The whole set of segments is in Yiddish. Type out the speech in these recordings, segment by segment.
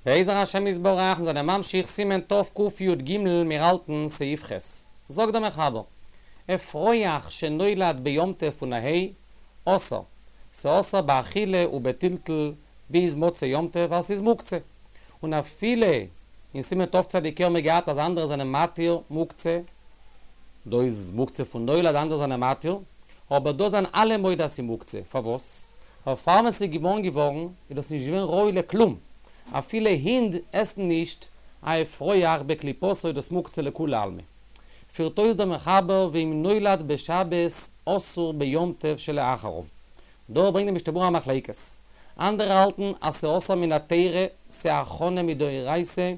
בעזר השם יתברך מיר זענען ממשיך סימן תקי"ג מיר האלטן סעיף ח'. זאגט דער מחבר, אפרוח שנולד ביום טוב פון א היי, אסור, ס'אסור באכילה ובטלטול ביז מוצאי יום טוב ווייל ס'איז מוקצה. און אפילו אין סימן תצ"ה האבן מיר געהאט אז אנדערע זענען מתיר מוקצה, דא איז מוקצה פון נולד אנדערע זענען מתיר, אבער דא זענען אלע מודה אז ס'איז מוקצה, פארוואס? ווייל פאר ווען ס'איז געבארן געווארן איז דאס נישט געווען ראוי לכלום, אפילו הינט עסן נישט א אפרוח בקליפתו איז דאס מוקצה לכולי עלמא. פירט אויס דער מחבר ואם נולד בשבת אסור ביום טוב שלאחריו. דא ברענגט די משנה ברורה א מחלוקת. אנדערע האלטן אז ס'אסור מן התורה, ס'הכנה מדאורייתא,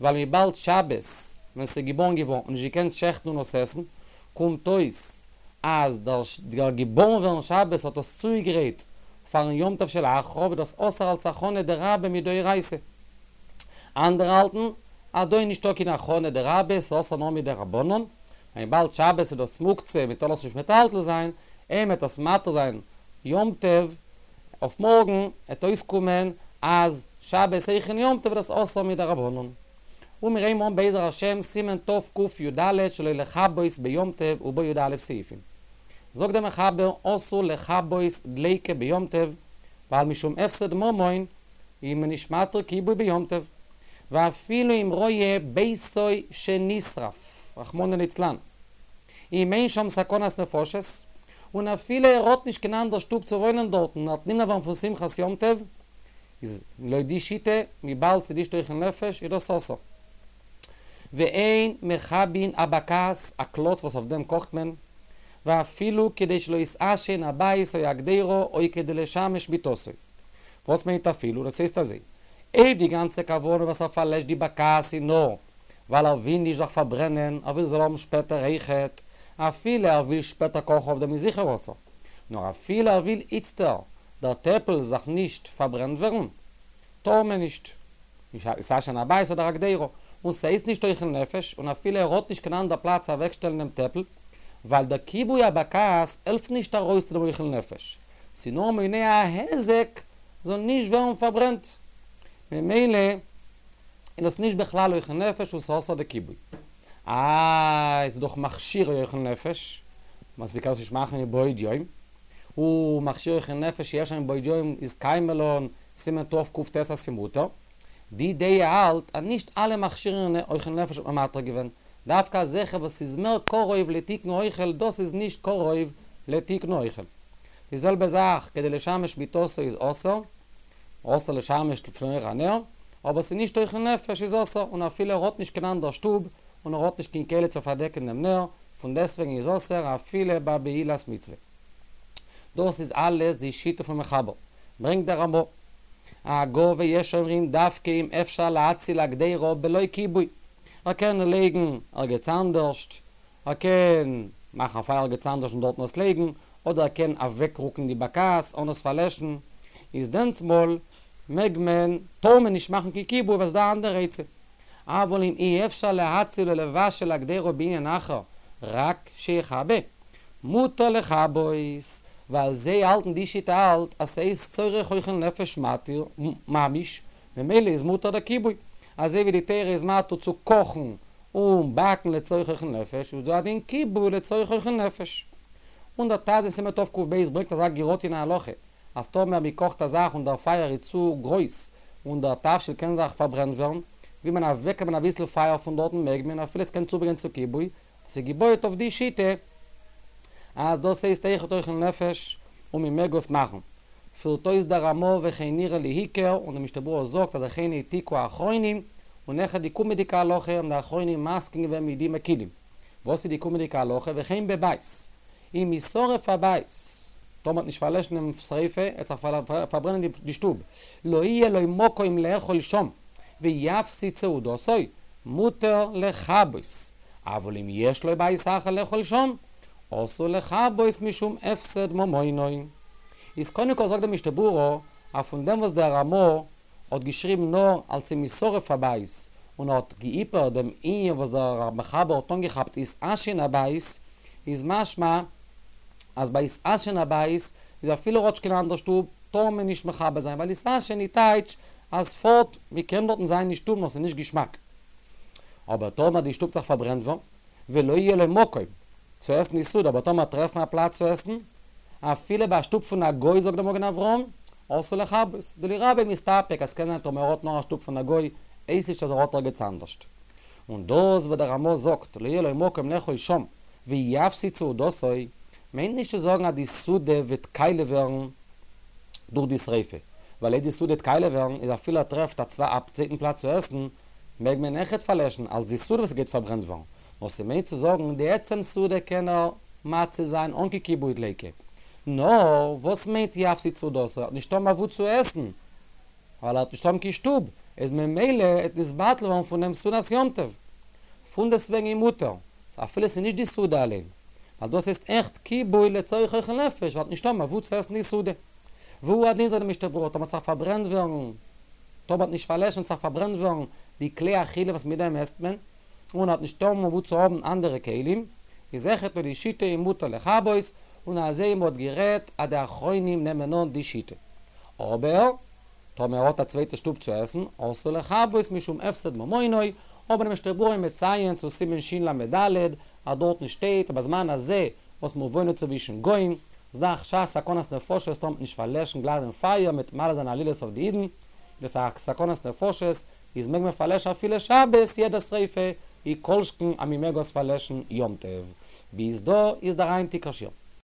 ווייל וויבאלד שבת ווען ס'איז געבארן געווארן האט נישט געקענט שעכטן און עס עסן, קומט אויס אז דער געבארן ווערן שבת האט עס צוגעגרייט פארן יום טוב שלאחריו איז דאס אסור אלס הכנה דרבה מדאורייתא. אנדערע האלטן אז דא איז נישטא קיין הכנה דרבה, ס'אסור נאר מדרבנן, וויבאלד שבת איז דאס מוקצה מען טאר עס נישט מטלטל זיין, אויב מ'עט עס מתיר זיין יום טוב אויף מארגן עט אויסקומען אז שבת אויך אין יום טוב איז דאס אסור מדרבנן. און מיר הייבן אן בעזר השם סימן תקי"ד שלא לכבות ביום טוב ובו י"א סעיפים. זאגט דער מחבר אסור לכבות דליקה ביום טוב ווייל משום הפסד ממון איז מען נישט מתיר כיבוי ביום טוב ואפילו אם רואה ביתו שנשרף רחמנא ליצלן אם אין שם סכנת נפשות און אפילו ער האט נישט קיין אנדער שטוב צו וואוינען דארטן ער וועט נמנע ווערן פון שמחת יום טוב איז לויט די שיטה וויבאלד ס'איז נישט אוכל נפש איז דאס אסור. ואין מכבין הבקעת, א קלאץ וואס אויף דעם קאכט מען, ואפילו כדי שלא יתעשן הבית או הקדירה או כדי לשמש מיטתו. וואס מיינט אפילו? דאס הייסט אזוי, אויב די גאנצע כוונה וואס ער פארלעשט די בקעת איז נאר ווייל ער וויל נישט זיך פארברענען, ער וויל זאל האבן שפעטער אויכעט, אפילו ער וויל שפעטער קאכן אויף דעם איז זיכער אסור. נאר אפילו ער וויל איצטער דער טעפל זאל נישט פארברענט ווערן, טאר מען נישט. יתעשן הבית אדער הקדירה, און ס'הייסט נישט אוכל נפש, און אפילו ער האט נישט קיין אנדער פלאץ אוועקשטעלן דעם טעפל, ווייל דער כיבוי הבקעת העלפט נישט ארויס צו דעם אוכל נפש, ס'איז נאר מונע א היזק זאל נישט ווערן פארברענט, ממילא איז דאס נישט בכלל אוכל נפש און ס'אסור די כיבוי. איי, ס'איז דאך מכשירי אוכל נפש, וואס מ'קען עס נישט מאכן מבעוד יום, און מכשירי אוכל נפש שיש שם מבעוד יום איז קיימא לן, סימן תק"ט אז ס'מותר. די דעה האלט אז נישט אלע מכשירי אוכל נפש האט מען מתיר געווען, דווקא אזעלכע וואס איז מער קרוב לתיקון אוכל דאס איז נישט קרוב לתיקון אוכל. די זעלבע זאך כדי לשמש מיטתו איז אסור, אסור לשמש לפני אור הנר, אבער ס'איז נישט אוכל נפש איז אסור, און אפילו ער האט נישט קיין אנדער שטוב, און ער האט נישט קיין כלי צו פארדעקן דעם נר, פון דעסטוועגן איז אסור אפילו ביי בעילת מצוה. דאס איז אלעס די שיטה פון מחבר. ברענגט דער רמא. הגה ויש אומרים דווקא אם אפשר להציל הקדירה בלא כיבוי. ער קען לייגן ערגעץ אנדערשט, ער קען מאכן א פייער ערגעץ אנדערש און דארטן עס לייגן, אדער ער קען אוועקרוקן די בקעת אן עס פארלעשן, איז דענסמאל מעג מען, טאר מען נישט מאכן קיין כיבוי ווייל ס'איז דא א אנדערע עצה. אבל אם אי אפשר להציל ולבשל הקדירה בענין אחר, רק שיכבה, מותר לכבות, ווייל זיי האלטן די שיטה האלט אז ס'איז צורך אוכל נפש מתיר ממש, ממילא איז מותר די כיבוי, אזוי ווי די תורה איז מתיר צו קאכן און באקן לצורך אוכל נפש, איז דא א דין כיבוי לצורך אוכל נפש. און דער טז אין סימן תק"ב ברענגט אזא גירטין הלכה, אז טאמער מען קאכט א זאך און דער פייער איז צו גרויס און דער תבשיל קען זיך פארברענט ווערן, וויל מען אוועקנעמען אביסל פייער פון דארטן מעג מען אפילו עס קען צוברענגען צו כיבוי, עס איז געבויעט אויף די שיטה אז דאס הייסט אויכעט אוכל נפש און מען מעג עס מאכן. פירט אויס דער רמא וכן נראה לי עיקר און די משנה ברורה זאגט אז וכן העתיקו האחרונים און אויכעט די קומעדיגע הלכה האבן די אחרונים מסכים געווען מיט די מקילים. וואס איז די קומעדיגע הלכה וכן בבית אם ישרף הבית, טאמער מ'וועט נישט פארלעשן דעם שריפה, עט זיך פארברענען די שטוב, לא יהיה לו מקום לאכול שם, ויפסיד סעודתו, מותר לכבות, אבל אם יש לו בית אחר לאכול שם, אסור לכבות משום הפסד ממונו. איז קודם כל זאגט די משנה ברורה, אז פון דעם וואס דער רמא האט געשריבן נאר אלס אם ישרף הבית, און ער האט געהיפערט דעם ענין וואס דער מחבר האט אנגעכאפט יתעשן הבית, איז משמע אז ביי יתעשן הבית איז אפילו ער האט נישט קיין אנדער שטוב טאר מען נישט מכבה זיין ווייל יתעשן איז טייטש אז פארט, מען קען דארטן זיין אין שטוב נאר ס'איז נישט געשמאק. אבער טאמער די שטוב זיך פארברענט ווארן, ולא יהיה לו מקום צו עסן די סעודה, אבער טאמער טרעפן א פלאץ צו עסן, אפילו ביי א שטוב פון א גוי זאגט דער מגן אברהם, אסור לכבות, דלרבו מסתפק אז ס'קען זיין טאמער ער האט נאר א שטוב פון א גוי, הייסט נישט אז ער האט ערגעץ אנדערשט. און דאס וואס דער רמא זאגט לא יהיה לו מקום לאכול שם ויפסיד סעודתו, מיינט נישט צו זאגן אז די סעודה וועט קאליע ווערן דורך די שריפה, ווייל אויב די סעודה וועט קאליע ווערן איז אפילו ער טרעפט א צווייטן פלאץ צו עסן, מעג מען אויכעט פארלעשן אלס די סעודה וואס גייט פארברענט ווערן, נאר ס'מיינט צו זאגן די עצם סעודה קען ער מציל זיין אן קיין כיבוי דליקה. נאר וואס מיינט יפסיד סעודתו? ער האט נישט האבן אוואו צו עסן, ווייל ער האט נישט האבן קיין שטוב, איז ממילא עט נתבטל ווערן פון דעם סעודת יום טוב. פונדעסטוועגן איז מותר, אפילו ס'איז נישט די סעודה אליין, ווייל דאס הייסט עכט כיבוי לצורך אוכל נפש, ווייל ער האט נישט האבן אוואו צו עסן די סעודה. והוא הדין זאגט די משנה ברורה, טאמער ס'זאל פארברענט ווערן, טאמער מ'האט נישט פארלעשן ס'זאל פארברענט ווערן די כלי אכילה וואס מיט דעם עסט מען, און האט נישט האבן וואו צו האבן אנדערע כלים, איז אויכעט לויט די שיטה איז מותר לכבות, און אזוי מ'האט גערעדט אז די אחרונים נעמען אן די שיטה. אבער, טאמער ער האט א צווייטע שטוב צו עסן, אסור לכבות משום הפסד ממונו, אבער די משנה ברורה מציין צו סימן של"ד אז דארטן שטייט אז בזמן הזה וואס מיר וואוינען צווישן גוים, איז דא א חשש סכנת נפשות טאמער מ'וועט נישט פארלעשן גלייך דעם פייער מ'וועט מעלה זיין עלילות אויף די אידן, דאס איז א סכנת נפשות, איז מעג מען פארלעשן אפילו שבת יעדע שריפה, און כל שכן אז מען מעג עס פארלעשן יום טוב. ביז דא איז דער היינטיגער שיעור.